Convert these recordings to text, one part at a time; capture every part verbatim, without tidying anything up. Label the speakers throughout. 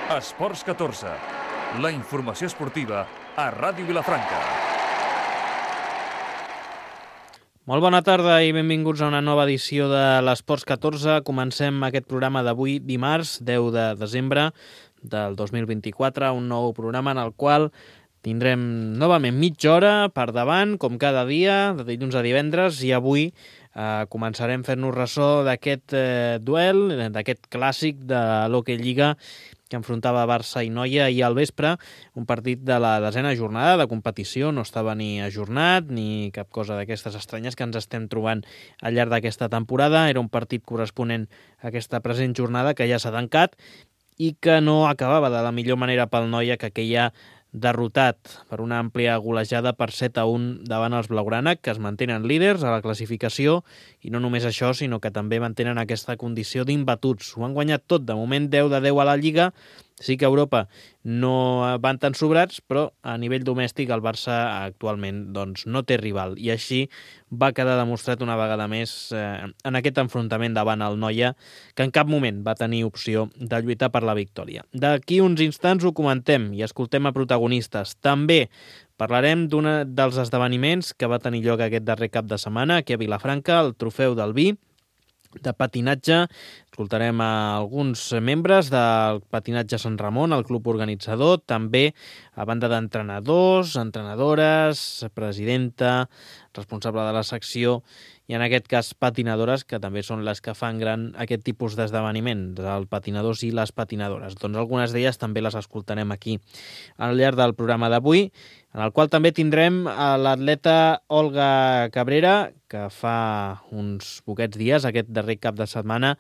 Speaker 1: Esports catorze, la informació esportiva a Ràdio Vilafranca.
Speaker 2: Molt bona tarda i benvinguts a una nova edició de l'Esports catorze. Comencem aquest programa d'avui, dimarts, deu de desembre del dos mil vint-i-quatre, un nou programa en el qual tindrem novament mitja hora per davant, com cada dia, de dilluns a divendres, i avui eh, començarem fent-nos ressò d'aquest eh, duel, d'aquest clàssic de l'Hockey Lliga que enfrontava Barça i Noia ahir al vespre, un partit de la desena jornada de competició, no estava ni ajornat ni cap cosa d'aquestes estranyes que ens estem trobant al llarg d'aquesta temporada. Era un partit corresponent a aquesta present jornada que ja s'ha tancat i que no acabava de la millor manera pel Noia, que queia derrotat per una àmplia golejada per set a un davant els blaugrana, que es mantenen líders a la classificació, i no només això, sinó que també mantenen aquesta condició d'imbatuts. Ho han guanyat tot, de moment deu de deu a la Lliga. Sí que a Europa no van tan sobrats, però a nivell domèstic el Barça actualment doncs, no té rival, i així va quedar demostrat una vegada més eh, en aquest enfrontament davant el Noia, que en cap moment va tenir opció de lluitar per la victòria. D'aquí uns instants ho comentem i escoltem a protagonistes. També parlarem d'un dels esdeveniments que va tenir lloc aquest darrer cap de setmana aquí a Vilafranca, el Trofeu del Vi de patinatge. Escoltarem a alguns membres del Patinatge Sant Ramon, el club organitzador, també a banda d'entrenadors, entrenadores, presidenta, responsable de la secció, i en aquest cas patinadores, que també són les que fan gran aquest tipus d'esdeveniment, els patinadors i les patinadores. Doncs algunes d'elles també les escoltarem aquí al llarg del programa d'avui, en el qual també tindrem a l'atleta Olga Cabrera, que fa uns poquets dies, aquest darrer cap de setmana,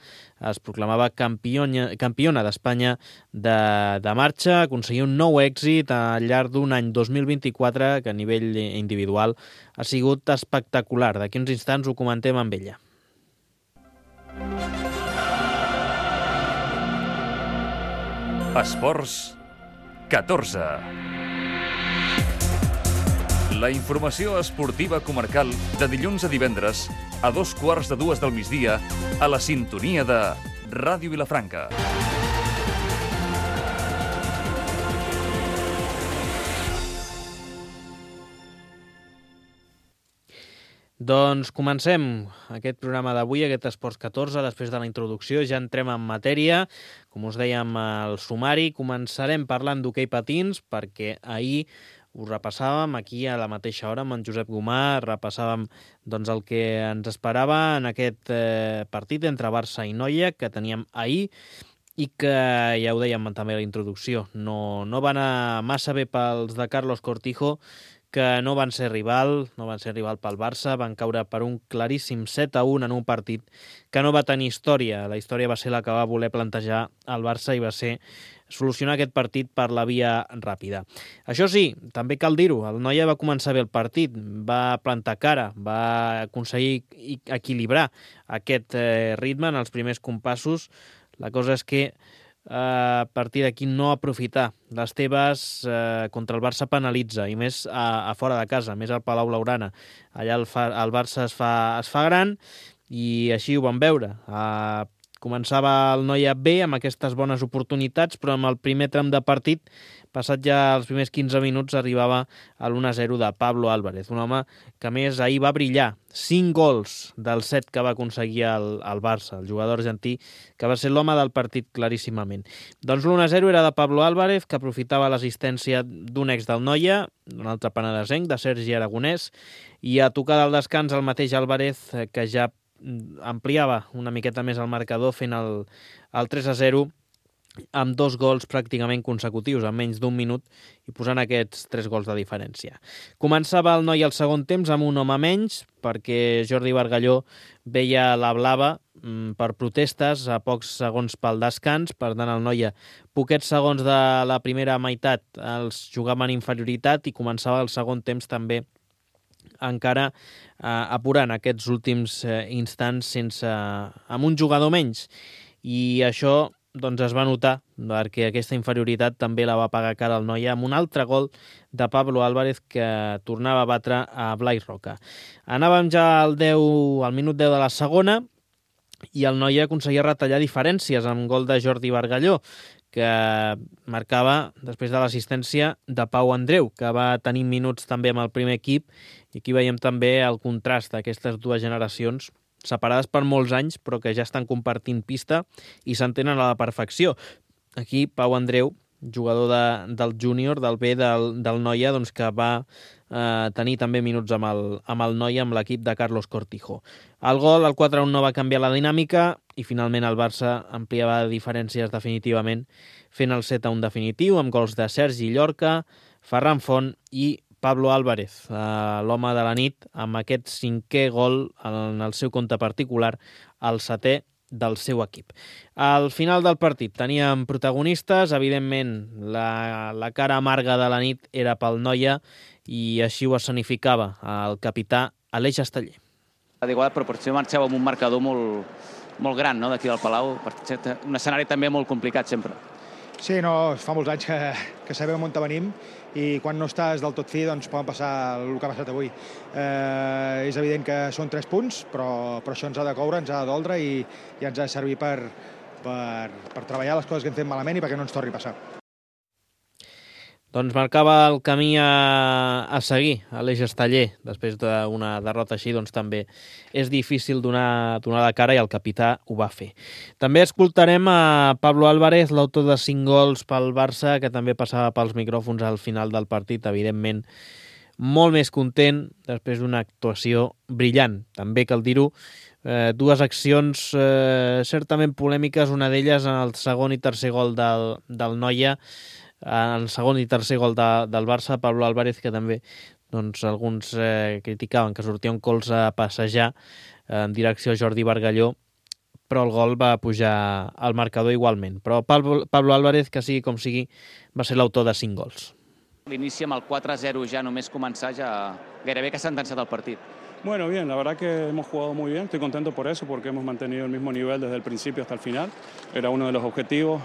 Speaker 2: es proclamava campiona, campiona d'Espanya de, de marxa, aconseguir un nou èxit al llarg d'un any dos mil vint-i-quatre que a nivell individual ha sigut espectacular. D'aquí uns instants ho comentem amb ella.
Speaker 1: Esports catorze. La informació esportiva comarcal de dilluns a divendres a dos quarts de dues del migdia a la sintonia de Ràdio Vilafranca.
Speaker 2: Doncs comencem aquest programa d'avui, aquest Esports catorze. Després de la introducció ja entrem en matèria. Com us dèiem al sumari, començarem parlant d'hoquei patins, perquè ahir ho repassàvem aquí a la mateixa hora amb en Josep Gomà, repassàvem doncs, el que ens esperava en aquest eh, partit entre Barça i Noia que teníem ahir, i que, ja ho dèiem també a la introducció, no, no va anar massa bé pels de Carlos Cortijo, que no van ser rival, no van ser rival pel Barça, van caure per un claríssim set a un en un partit que no va tenir història. La història va ser la que va voler plantejar el Barça i va ser solucionar aquest partit per la via ràpida. Això sí, també cal dir-ho, el Noia va començar bé el partit, va plantar cara, va aconseguir equilibrar aquest eh, ritme en els primers compassos. La cosa és que a partir d'aquí no aprofitar. Les teves eh, contra el Barça penalitza, i més a, a fora de casa, més al Palau Blaugrana. Allà el, fa, el Barça es fa, es fa gran, i així ho vam veure. Eh, començava el Noia bé, amb aquestes bones oportunitats, però amb el primer tram de partit, passat ja els primers quinze minuts, arribava a l'u a zero de Pablo Álvarez, un home que a més ahir va brillar. cinc gols dels set que va aconseguir el, el Barça, el jugador argentí, que va ser l'home del partit claríssimament. Doncs l'u a zero era de Pablo Álvarez, que aprofitava l'assistència d'un ex del Noia, un altre penedesenc, de Sergi Aragonès, i a tocar del descans el mateix Álvarez, que ja ampliava una miqueta més el marcador fent el, el tres a zero amb dos gols pràcticament consecutius en menys d'un minut i posant aquests tres gols de diferència. Començava el Noia el segon temps amb un home menys perquè Jordi Bargalló veia la blava per protestes a pocs segons pel descans. Per tant, el Noia, poquets segons de la primera meitat, els jugava en inferioritat i començava el segon temps també encara eh, apurant aquests últims eh, instants sense, amb un jugador menys. I això doncs, es va notar, perquè aquesta inferioritat també la va pagar cara al Noia amb un altre gol de Pablo Álvarez que tornava a batre a Blai Roca. Anàvem ja al, deu, al minut deu de la segona i el Noia aconseguia retallar diferències amb gol de Jordi Bargalló, que marcava després de l'assistència de Pau Andreu, que va tenir minuts també amb el primer equip, i aquí veiem també el contrast d'aquestes dues generacions, separades per molts anys, però que ja estan compartint pista i s'entenen a la perfecció. Aquí Pau Andreu, jugador de, del júnior, del B del, del Noia, doncs que va eh, tenir també minuts amb el, amb el Noia, amb l'equip de Carlos Cortijo. El gol, el quatre a un, no va canviar la dinàmica i finalment el Barça ampliava diferències definitivament, fent el set a un definitiu, amb gols de Sergi Llorca, Ferran Font i Pablo Álvarez, eh, l'home de la nit, amb aquest cinquè gol en el seu compte particular, el setè del seu equip. Al final del partit teníem protagonistes, evidentment la, la cara amarga de la nit era pel Noia i així ho escenificava el capità Aleix Esteller.
Speaker 3: D'igual proporció marxeu amb un marcador molt, molt gran, no?, d'aquí del Palau, un escenari també molt complicat sempre.
Speaker 4: Sí, no, fa molts anys que, que sabem on venim i quan no estàs del tot fi doncs poden passar el que ha passat avui. Eh, és evident que són tres punts, però, però això ens ha de coure, ens ha de doldre i, i ens ha de servir per, per, per treballar les coses que hem fet malament i perquè no ens torni a passar.
Speaker 2: Doncs marcava el camí a, a seguir, Aleix Esteller. Després d'una derrota així, doncs també és difícil donar, donar la cara i el capità ho va fer. També escoltarem a Pablo Álvarez, l'autor de cinc gols pel Barça, que també passava pels micròfons al final del partit, evidentment molt més content després d'una actuació brillant. També cal dir-ho, eh, dues accions eh, certament polèmiques, una d'elles en el segon i tercer gol del, del Noia, en el segon i tercer gol de, del Barça, Pablo Álvarez, que també doncs, alguns eh, criticaven que sortia un colze a passejar eh, en direcció a Jordi Bargalló, però el gol va pujar al marcador igualment. Però Pablo, Pablo Álvarez, que sigui com sigui, va ser l'autor de cinc gols.
Speaker 3: L'inici amb el quatre a zero ja només començar, ja gairebé que s'ha sentenciat el partit.
Speaker 5: Bueno, bien, la verdad que hemos jugado muy bien, estoy contento por eso, porque hemos mantenido el mismo nivel desde el principio hasta el final, era uno de los objetivos.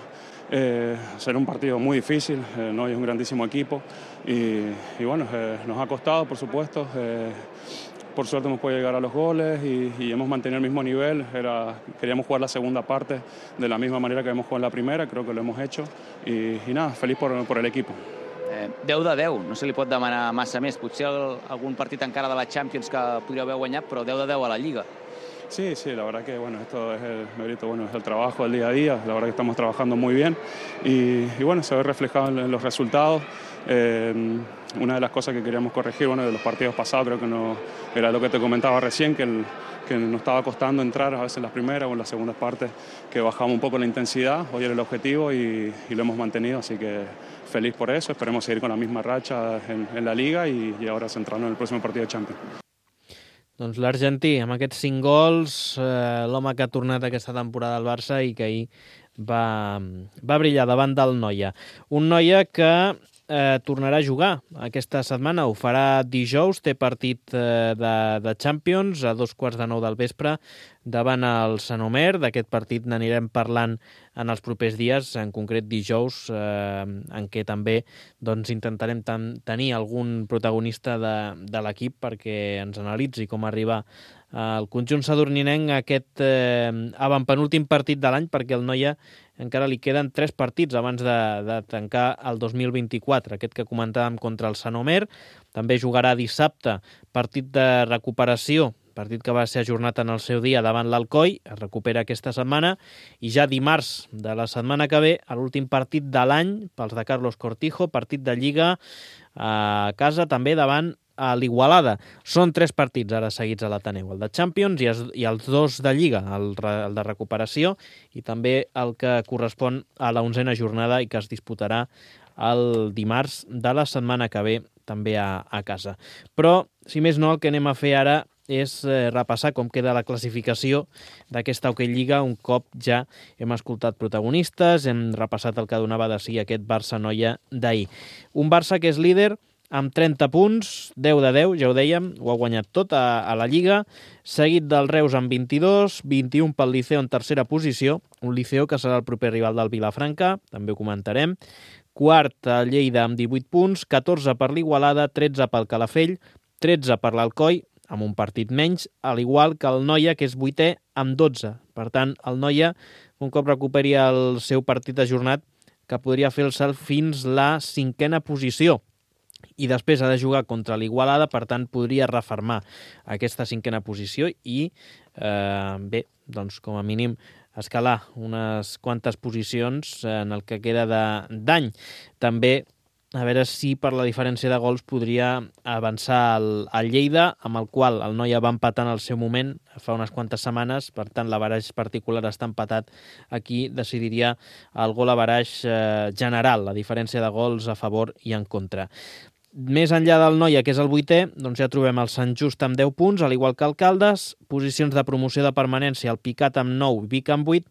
Speaker 5: Eh, será un partido muy difícil, eh, no es un grandísimo equipo y, y bueno, eh, nos ha costado, por supuesto, eh, por suerte hemos podido llegar a los goles y, y hemos mantenido el mismo nivel. Era, queríamos jugar la segunda parte de la misma manera que hemos jugado en la primera, creo que lo hemos hecho y, y nada, feliz por, por el equipo.
Speaker 3: Eh, deu de deu, no se li pot demanar massa més, potser el, algun partit encara de la Champions que podria haver guanyat, però deu de deu a la Lliga.
Speaker 5: Sí, sí, la verdad que bueno, esto es el mérito, bueno, es el trabajo del día a día, la verdad que estamos trabajando muy bien y, y bueno, se ve reflejado en los resultados. Eh, una de las cosas que queríamos corregir, bueno, de los partidos pasados, creo que no era lo que te comentaba recién, que, el, que nos estaba costando entrar a veces en las primeras o en las segundas partes, que bajamos un poco la intensidad, hoy era el objetivo y, y lo hemos mantenido, así que feliz por eso, esperemos seguir con la misma racha en, en la Liga y, y ahora centrarnos en el próximo partido de Champions.
Speaker 2: Doncs l'Argentí, amb aquests cinc gols, eh, l'home que ha tornat aquesta temporada al Barça i que ahir va, va brillar davant del Noia. Un Noia que eh, tornarà a jugar aquesta setmana, ho farà dijous, té partit eh, de, de Champions a dos quarts de nou del vespre davant el Sant Omer. D'aquest partit n'anirem parlant en els propers dies, en concret dijous, eh, en què també doncs, intentarem ten tenir algun protagonista de, de l'equip perquè ens analitzi com arriba el conjunt sadurninenc a aquest eh, avantpenúltim partit de l'any, perquè el Noia encara li queden tres partits abans de, de tancar el dos mil vint-i-quatre, aquest que comentàvem contra el Sant Omer. També jugarà dissabte, partit de recuperació, partit que va ser ajornat en el seu dia davant l'Alcoi, es recupera aquesta setmana, i ja dimarts de la setmana que ve, l'últim partit de l'any pels de Carlos Cortijo, partit de Lliga a casa també davant a l'Igualada. Són tres partits ara seguits a l'Ateneu, el de Champions i els, i els dos de Lliga, el, el de recuperació i també el que correspon a l'onzena jornada i que es disputarà el dimarts de la setmana que ve també a, a casa. Però, si més no, el que anem a fer ara és eh, repassar com queda la classificació d'aquesta Hockey Lliga un cop ja hem escoltat protagonistes, hem repassat el que donava de si aquest Barça-Noia d'ahir. Un Barça que és líder amb trenta punts, deu de deu, ja ho dèiem, ho ha guanyat tot a, a la Lliga, seguit del Reus amb vint-i-dos, vint-i-un pel Liceo en tercera posició, un Liceo que serà el proper rival del Vilafranca, també ho comentarem, quart el Lleida amb divuit punts, catorze per l'Igualada, tretze pel Calafell, tretze per l'Alcoi, amb un partit menys, al igual que el Noia, que és vuitè, amb dotze. Per tant, el Noia, un cop recuperi el seu partit ajornat, que podria fer el salt fins la cinquena posició. I després ha de jugar contra l'Igualada, per tant podria refermar aquesta cinquena posició i, eh, bé, doncs com a mínim escalar unes quantes posicions en el que queda d'any. També a veure si per la diferència de gols podria avançar el, el Lleida, amb el qual el Noia va empatar en el seu moment fa unes quantes setmanes, per tant l'averaix particular està empatat. Aquí decidiria el gol averaix eh, general, la diferència de gols a favor i en contra. Més enllà del Noia, que és el vuitè, doncs ja trobem el Sant Just amb deu punts, al igual que el Caldes, posicions de promoció de permanència, el Picat amb nou, Vic amb vuit,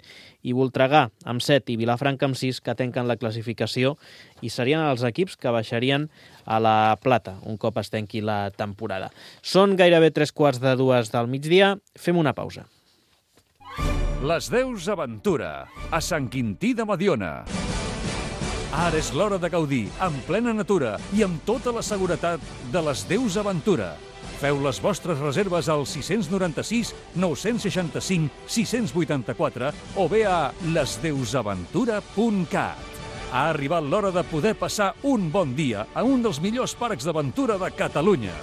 Speaker 2: i Voltregà amb set i Vilafranca amb sis, que tanquen la classificació i serien els equips que baixarien a la plata un cop es tanqui la temporada. Són gairebé tres quarts de dues del migdia, fem una pausa.
Speaker 1: Les Deus Aventura, a Sant Quintí de Mediona. Ara és l'hora de gaudir, en plena natura i amb tota la seguretat de les Deus Aventura. Feu les vostres reserves al sis nou sis, nou seixanta cinc, sis vuitanta quatre o bé a les deus aventura punt cat. Ha arribat l'hora de poder passar un bon dia a un dels millors parcs d'aventura de Catalunya.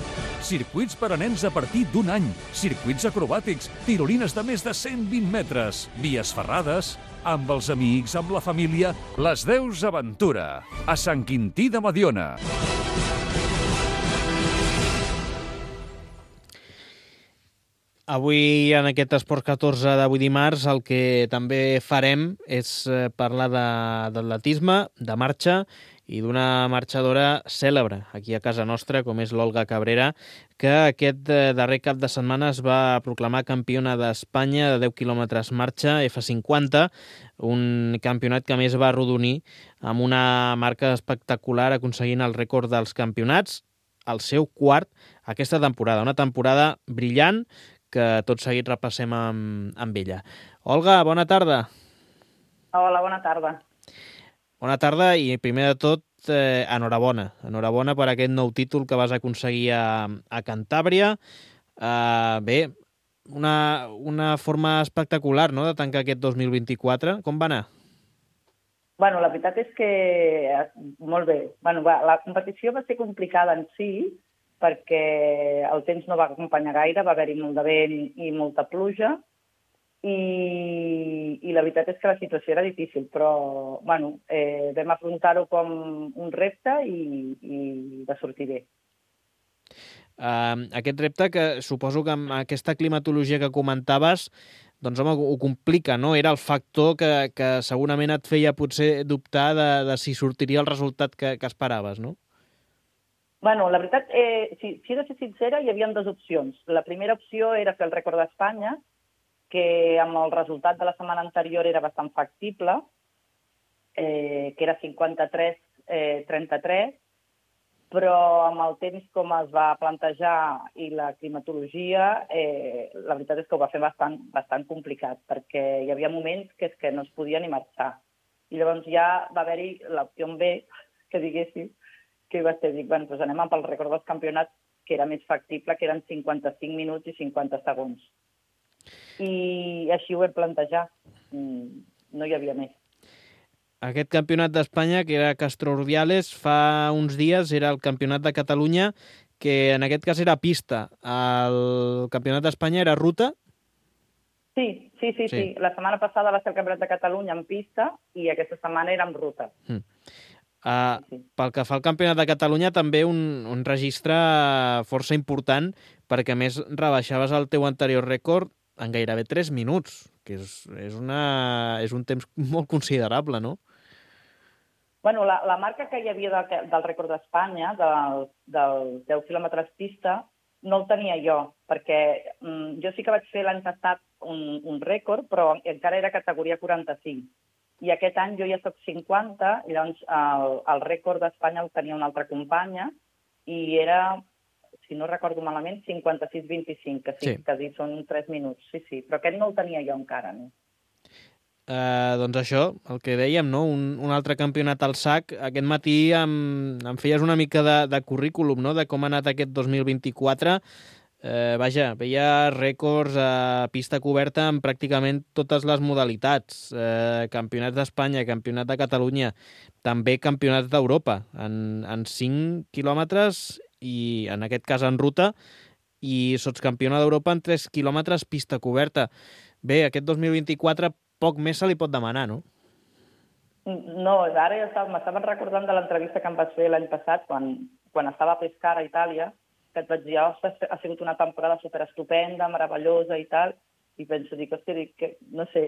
Speaker 1: Circuits per a nens a partir d'un any, circuits acrobàtics, tirolines de més de cent vint metres, vies ferrades, amb els amics, amb la família, les Deus Aventura, a Sant Quintí de Mediona.
Speaker 2: Avui, en aquest Esports catorze d'avui dimarts, el que també farem és parlar d'atletisme, de marxa i d'una marxadora cèlebre aquí a casa nostra, com és l'Olga Cabrera, que aquest darrer cap de setmana es va proclamar campiona d'Espanya de deu quilòmetres marxa F cinquanta, un campionat que a més va arrodonir amb una marca espectacular aconseguint el rècord dels campionats, el seu quart aquesta temporada. Una temporada brillant que tot seguit repassem amb, amb ella. Olga, bona tarda.
Speaker 6: Hola, bona tarda.
Speaker 2: Bona tarda i primer de tot, eh, enhorabona. Enhorabona per aquest nou títol que vas aconseguir a, a Cantàbria. Uh, bé, una, una forma espectacular, no?, de tancar aquest dos mil vint-i-quatre. Com va anar?
Speaker 6: Bueno, la veritat és que molt bé. Bueno, va, la competició va ser complicada en si, perquè el temps no va acompanyar gaire, va haver-hi molt de vent i molta pluja, i, i la veritat és que la situació era difícil, però bueno, eh, vam afrontar-ho com un repte i, i va sortir bé.
Speaker 2: Uh, aquest repte que suposo que amb aquesta climatologia que comentaves, doncs home, ho complica, no? Era el factor que, que segurament et feia potser dubtar de, de si sortiria el resultat que, que esperaves, no?
Speaker 6: Bueno, la veritat, eh, si, si he de ser sincera, hi havia dues opcions. La primera opció era fer el rècord d'Espanya, que amb el resultat de la setmana anterior era bastant factible, eh, que era cinquanta-tres trenta-tres, però amb el temps com es va plantejar i la climatologia, eh, la veritat és que ho va fer bastant, bastant complicat, perquè hi havia moments que, és que no es podia ni marxar. I llavors ja va haver-hi l'opció B, que diguéssim, que va ser, dic, bueno, doncs anem amb el rècord dels campionats, que era més factible, que eren cinquanta-cinc minuts i cinquanta segons. I així ho vam plantejar. No hi havia més.
Speaker 2: Aquest campionat d'Espanya, que era Castro Urdiales, fa uns dies era el campionat de Catalunya, que en aquest cas era pista. El campionat d'Espanya era ruta?
Speaker 6: Sí, sí, sí, sí, sí. La setmana passada va ser el campionat de Catalunya en pista i aquesta setmana era en ruta.
Speaker 2: Mm. Uh, sí. Pel que fa al Campionat de Catalunya, també un, un registre força important, perquè a més rebaixaves el teu anterior rècord en gairebé tres minuts, que és, és, una, és un temps molt considerable, no?
Speaker 6: Bueno, la, la marca que hi havia de, del rècord d'Espanya, del, del deu quilòmetres pista, no el tenia jo, perquè mm, jo sí que vaig fer l'any passat un, un rècord, però encara era categoria quaranta-cinc. I aquest any jo ja soc cinquanta, i llavors el, el rècord d'Espanya el tenia una altra companya, i era, si no recordo malament, cinquanta-sis vint-i-cinc, que sí, sí. Que dir, són tres minuts, sí, sí, però aquest no el tenia jo encara, no?
Speaker 2: Uh, doncs això, el que dèiem, no? Un, un altre campionat al sac. Aquest matí em, em feies una mica de, de currículum, no?, de com ha anat aquest dos mil vint-i-quatre. Eh, vaja, veia rècords a pista coberta en pràcticament totes les modalitats. Eh, campionats d'Espanya, campionat de Catalunya, també campionats d'Europa, en, en cinc quilòmetres i en aquest cas en ruta, i sotscampiona d'Europa en tres quilòmetres pista coberta. Bé, aquest dos mil vint-i-quatre poc més se li pot demanar, no?
Speaker 6: No, ara ja estava, m'estaven recordant de l'entrevista que em vas fer l'any passat, quan, quan estava a Pescara, a Itàlia, que et vaig dir, ostres, ha sigut una temporada superestupenda, meravellosa i tal, i penso, dic, hòstia, dic, que, no sé,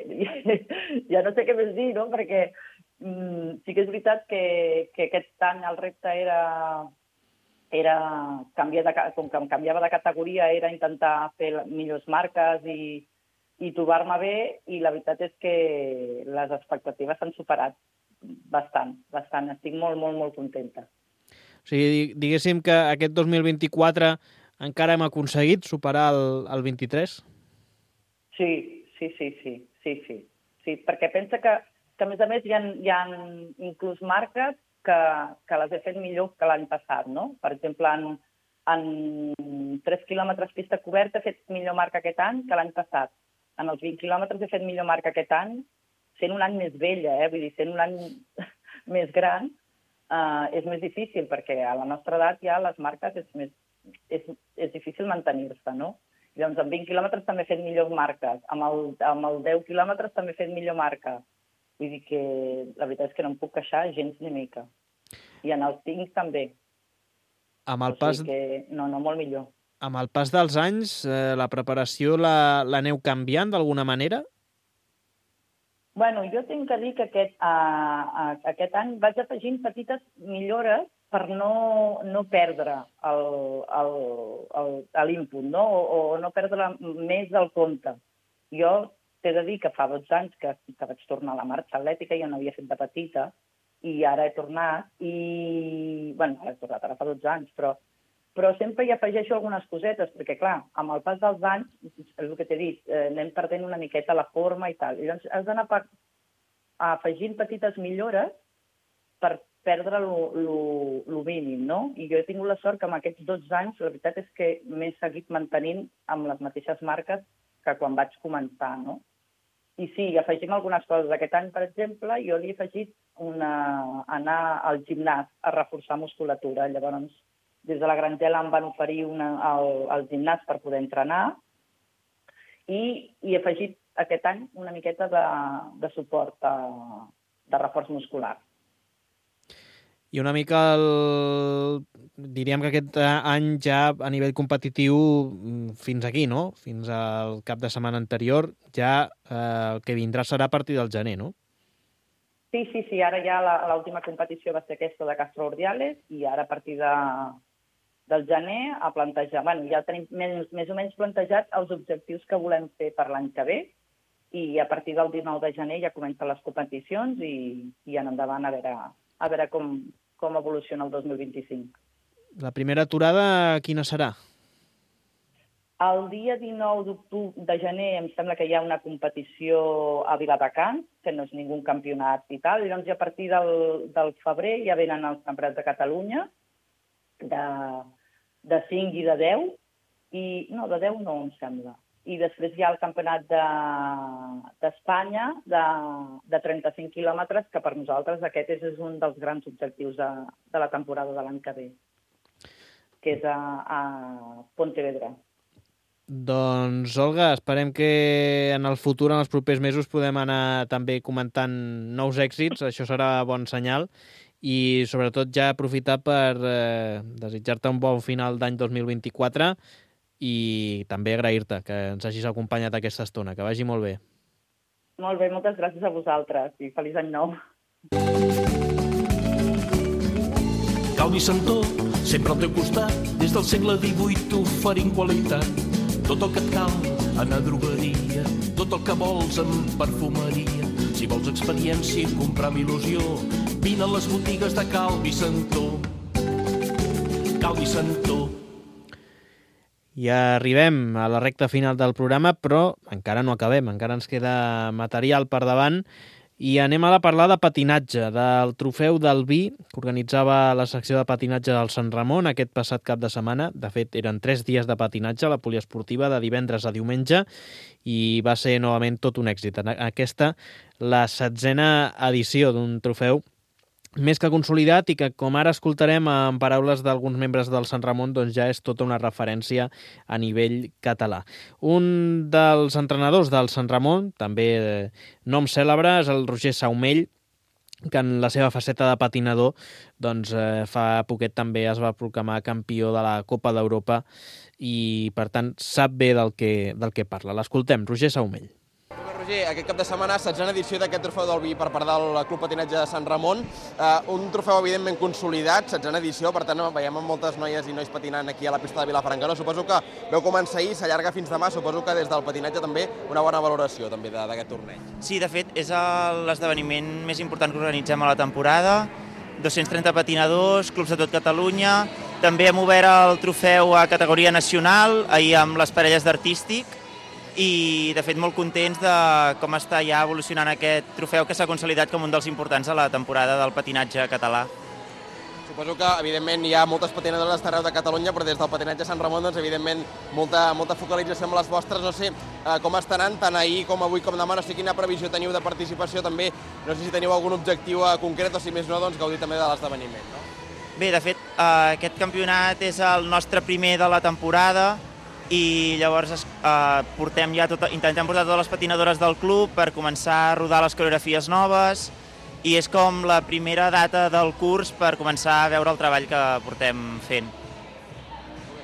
Speaker 6: ja no sé què més dir, no?, perquè mm, sí que és veritat que, que aquest any el repte era, era canviar de, com que em canviava de categoria, era intentar fer millors marques i, i trobar-me bé, i la veritat és que les expectatives s'han superat bastant, bastant. Estic molt, molt, molt contenta.
Speaker 2: O sigui, diguéssim que aquest dos mil vint-i-quatre encara hem aconseguit superar el, el vint-i-tres?
Speaker 6: Sí, sí, sí, sí, sí, sí. sí perquè pensa que, que, a més a més, hi ha, hi ha inclús marques que, que les he fet millor que l'any passat, no? Per exemple, en, en tres quilòmetres pista coberta he fet millor marca aquest any que l'any passat. En els vint quilòmetres he fet millor marca aquest any, sent un any més vella, eh? Vull dir, sent un any més gran, Uh, és més difícil, perquè a la nostra edat ja les marques és, més, és, és difícil mantenir-se, no? Llavors, amb vint quilòmetres també he fet millors marques, amb el, amb el deu quilòmetres també he fet millor marca. Vull dir que la veritat és que no em puc queixar gens ni mica. I en els cinc també.
Speaker 2: Amb el
Speaker 6: o sigui
Speaker 2: pas...
Speaker 6: que, no, no, molt millor.
Speaker 2: Amb el pas dels anys, eh, la preparació la, l'aneu canviant d'alguna manera?
Speaker 6: Bueno, jo tinc que dir que aquest, uh, aquest any vaig afegint petites millores per no, no perdre l'input, no? O, o no perdre més del compte. Jo t'he de dir que fa dotze anys que, que vaig tornar a la marxa atlètica, jo no havia fet de petita, i ara he tornat, i... bueno, ara he tornat, ara fa dotze anys, però, però sempre hi afegeixo algunes cosetes, perquè, clar, amb el pas dels anys, és el que t'he dit, eh, anem perdent una miqueta la forma i tal. I doncs has d'anar per, afegint petites millores per perdre el mínim, no? I jo he tingut la sort que amb aquests dotze anys, la veritat és que m'he seguit mantenint amb les mateixes marques que quan vaig començar, no? I sí, afegim algunes coses. Aquest any, per exemple, jo li he afegit una, anar al gimnàs a reforçar musculatura. Llavors, des de la Grangela em van oferir una, el, el gimnàs per poder entrenar i, i he afegit aquest any una miqueta de, de suport, de, de reforç muscular.
Speaker 2: I una mica, el... diríem que aquest any ja a nivell competitiu fins aquí, no? Fins al cap de setmana anterior, ja eh, el que vindrà serà a partir del gener, no?
Speaker 6: Sí, sí, sí. Ara ja l'última competició va ser aquesta de Castro Urdiales i ara a partir de, del gener a plantejar... Bueno, ja tenim més, més o menys plantejats els objectius que volem fer per l'any que ve i a partir del dinou de gener ja comencen les competicions i, i en endavant a veure, a veure com, com evoluciona el dos mil vint-i-cinc.
Speaker 2: La primera aturada quina serà?
Speaker 6: El dia dinou de gener em sembla que hi ha una competició a Viladecans, que no és ningú campionat i tal, i doncs ja a partir del, del febrer ja venen els campionats de Catalunya, de, de cinc i de deu, i no, de deu no em sembla. I després hi ha el campionat d'Espanya de, de, de trenta-cinc quilòmetres, que per nosaltres aquest és, és un dels grans objectius de, de la temporada de l'any que ve, que és a, a Pontevedra.
Speaker 2: Doncs, Olga, esperem que en el futur, en els propers mesos, podem anar també comentant nous èxits. Això serà bon senyal. I, sobretot, ja aprofitar per eh, desitjar-te un bon final d'any dos mil vint-i-quatre i també agrair-te que ens hagis acompanyat aquesta estona. Que vagi molt bé.
Speaker 6: Molt bé, moltes gràcies a vosaltres i feliç any nou.
Speaker 7: Calvi Santó, sempre al teu costat, des del segle divuit oferint qualitat. Tot el que et cal, anar a drogueria, tot el que vols en perfumeria. Si vols experiència i comprar amb il·lusió, vine a les botigues de Calvi Santó. Calvi Santó.
Speaker 2: Ja arribem a la recta final del programa, però encara no acabem, encara ens queda material per davant I anem a parlar de patinatge, del trofeu del vi que organitzava la secció de patinatge del Sant Ramon aquest passat cap de setmana. De fet, eren tres dies de patinatge a la poliesportiva de divendres a diumenge i va ser novament tot un èxit. Aquesta, la setzena edició d'un trofeu més que consolidat i que, com ara escoltarem en paraules d'alguns membres del Sant Ramon, doncs ja és tota una referència a nivell català. Un dels entrenadors del Sant Ramon, també nom cèlebre, és el Roger Saumell, que en la seva faceta de patinador doncs, eh, fa poquet també es va proclamar campió de la Copa d'Europa i, per tant, sap bé del que, del que parla. L'escoltem, Roger Saumell.
Speaker 8: Roger, aquest cap de setmana, setzena edició d'aquest trofeu del vi per part del Club Patinatge de Sant Ramon. Uh, un trofeu, evidentment, consolidat, setzena edició, per tant, veiem moltes noies i nois patinant aquí a la pista de Vilafranca. No? Suposo que veu començar ahir, s'allarga fins demà, suposo que des del patinatge també una bona valoració també d'aquest torneig.
Speaker 9: Sí, de fet, és l'esdeveniment més important que organitzem a la temporada. dos-cents trenta patinadors, clubs de tot Catalunya. També hem obert el trofeu a categoria nacional, ahir amb les parelles d'artístic, i de fet molt contents de com està ja evolucionant aquest trofeu que s'ha consolidat com un dels importants a la temporada del patinatge català.
Speaker 8: Suposo que, evidentment, hi ha moltes patinadores d'arreu de Catalunya, però des del patinatge Sant Ramon, doncs, evidentment, molta, molta focalització amb les vostres. No sé eh, com estaran tant ahir com avui com demà, no sé quina previsió teniu de participació també, no sé si teniu algun objectiu eh, concret o si més no, doncs gaudir també de l'esdeveniment, no?
Speaker 9: Bé, de fet, eh, aquest campionat és el nostre primer de la temporada, i llavors eh, portem ja tot, intentem portar totes les patinadores del club per començar a rodar les coreografies noves i és com la primera data del curs per començar a veure el treball que portem fent.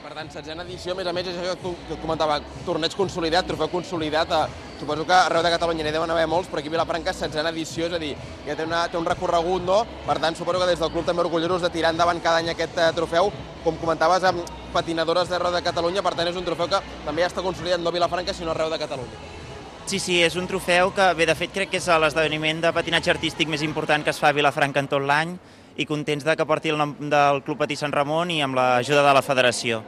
Speaker 8: Per tant, setzena edició, a més a més, és això que comentava, torneig consolidat, trofeu consolidat, eh, suposo que arreu de Catalunya n'hi deuen haver molts, però aquí a Vilafranca setzena edició, és a dir, ja té, una, té un recorregut, no? Per tant, suposo que des del club també orgullosos de tirar endavant cada any aquest eh, trofeu, com comentaves, amb patinadores d'arreu de Catalunya, per tant és un trofeu que també ja està consolidat no a Vilafranca, sinó arreu de Catalunya.
Speaker 9: Sí, sí, és un trofeu que, bé, de fet, crec que és l'esdeveniment de patinatge artístic més important que es fa a Vilafranca en tot l'any i contents de que porti el nom del Club Patí Sant Ramon i amb l'ajuda de la federació.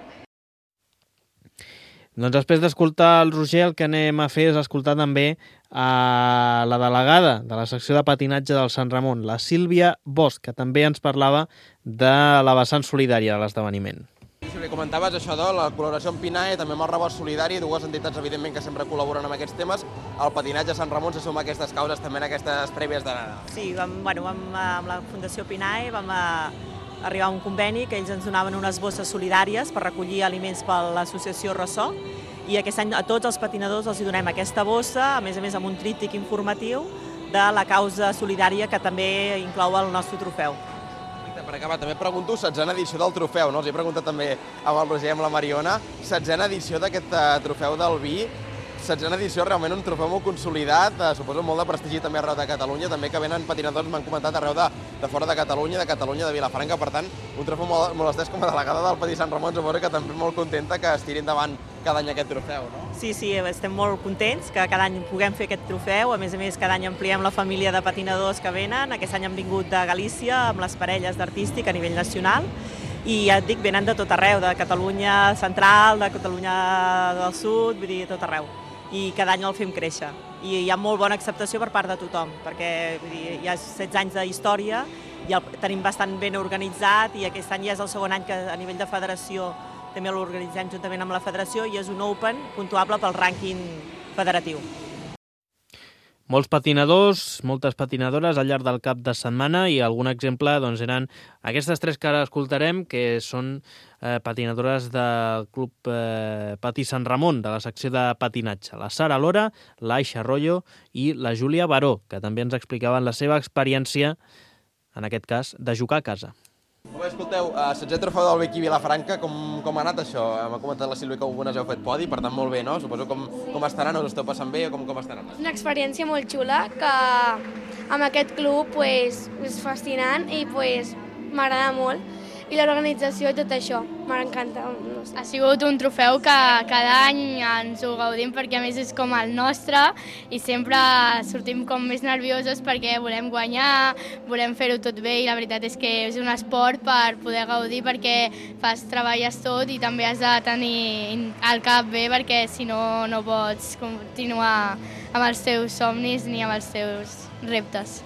Speaker 2: Doncs després d'escoltar el Roger, el que anem a fer és escoltar també a la delegada de la secció de patinatge del Sant Ramon, la Sílvia Bosch, que també ens parlava de la vessant solidària de l'esdeveniment.
Speaker 8: Sí, li comentaves això de la col·laboració amb Pinae, també amb el Rebost Solidari, dues entitats, evidentment, que sempre col·laboren amb aquests temes. El patinatge a Sant Ramon se suma a aquestes causes, també en aquestes prèvies de Nadal.
Speaker 10: Sí, vam, bueno, vam, amb la Fundació Pinae vam a, arribar a un conveni que ells ens donaven unes bosses solidàries per recollir aliments per l'associació Ressò, i aquest any a tots els patinadors els donem aquesta bossa, a més a més amb un tríptic informatiu de la causa solidària que també inclou el nostre trofeu.
Speaker 8: Per acabar, també pregunto, setzena edició del trofeu, no? Els he preguntat també amb el Roger i amb la Mariona, setzena edició d'aquest trofeu del vi, setzena edició, realment un trofeu molt consolidat, eh, suposo molt de prestigi també arreu de Catalunya, també que venen patinadors, m'han comentat, arreu de, de fora de Catalunya, de Catalunya, de Vilafranca, per tant, un trofeu molt, molt estès com a delegada del Patí Sant Ramon, suposo que també molt contenta que es tiri endavant cada any aquest trofeu, no?
Speaker 10: Sí, sí, estem molt contents que cada any puguem fer aquest trofeu, a més a més cada any ampliem la família de patinadors que venen, aquest any hem vingut de Galícia amb les parelles d'artístic a nivell nacional, i ja et dic, venen de tot arreu, de Catalunya central, de Catalunya del sud, vull dir, tot arreu. I cada any el fem créixer. I hi ha molt bona acceptació per part de tothom, perquè vull dir, hi ha setze anys de història i el tenim bastant ben organitzat i aquest any ja és el segon any que a nivell de federació també l'organitzem juntament amb la federació i és un Open puntuable pel rànquing federatiu.
Speaker 2: Molts patinadors, moltes patinadores al llarg del cap de setmana i algun exemple doncs, eren aquestes tres que ara escoltarem, que són eh, patinadores del Club eh, Patí Sant Ramon, de la secció de patinatge. La Sara Lora, l'Aixa Arroyo i la Júlia Baró, que també ens explicaven la seva experiència, en aquest cas, de jugar a casa.
Speaker 8: Bé, escolteu, uh, setzè trofeu del Vicky Vilafranca, com, com ha anat això? M'ha comentat la Sílvia que algunes heu fet podi, per tant molt bé, no? Suposo com, com estaran, us esteu passant bé o com, com estan anant?
Speaker 11: Una experiència molt xula que amb aquest club pues, és fascinant i pues, m'agrada molt. I l'organització i tot això, m'encanta.
Speaker 12: Ha sigut un trofeu que cada any ens ho gaudim perquè a més és com el nostre i sempre sortim com més nerviosos perquè volem guanyar, volem fer-ho tot bé i la veritat és que és un esport per poder gaudir perquè fas, treballes tot i també has de tenir el cap bé perquè si no no pots continuar amb els teus somnis ni amb els teus reptes.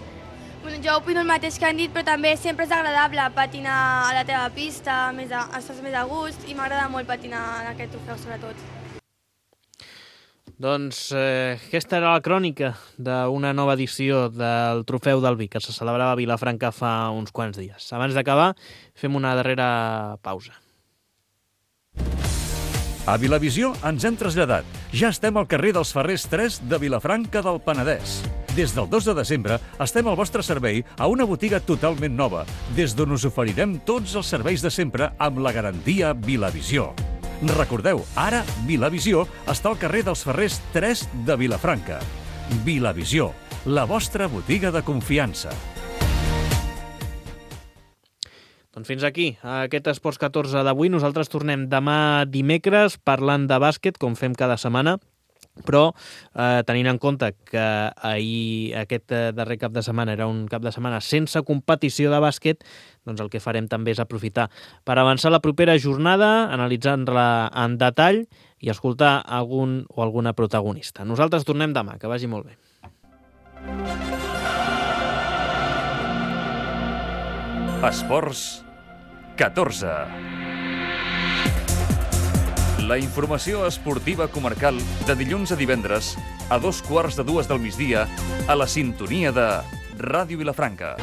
Speaker 11: Bueno, jo opino el mateix que han dit, però també sempre és agradable patinar a la teva pista, més a, estàs més a gust i m'agrada molt patinar en aquest trofeu, sobretot.
Speaker 2: Doncs eh, aquesta era la crònica d'una nova edició del Trofeu del Vi, que se celebrava a Vilafranca fa uns quants dies. Abans d'acabar, fem una darrera pausa.
Speaker 1: A Vilavisió ens hem traslladat. Ja estem al carrer dels Ferrers tres de Vilafranca del Penedès. Des del dos de desembre estem al vostre servei a una botiga totalment nova, des d'on us oferirem tots els serveis de sempre amb la garantia Vilavisió. Recordeu, ara Vilavisió està al carrer dels Ferrers tres de Vilafranca. Vilavisió, la vostra botiga de confiança.
Speaker 2: Doncs fins aquí, aquest Esports catorze d'avui. Nosaltres tornem demà dimecres parlant de bàsquet, com fem cada setmana, però eh, tenint en compte que ahir aquest eh, darrer cap de setmana era un cap de setmana sense competició de bàsquet, doncs el que farem també és aprofitar per avançar la propera jornada, analitzar-la en detall i escoltar algun o alguna protagonista. Nosaltres tornem demà, que vagi molt bé.
Speaker 1: Esports catorze. La informació esportiva comarcal de dilluns a divendres a dos quarts de dues del migdia a la sintonia de Ràdio Vilafranca.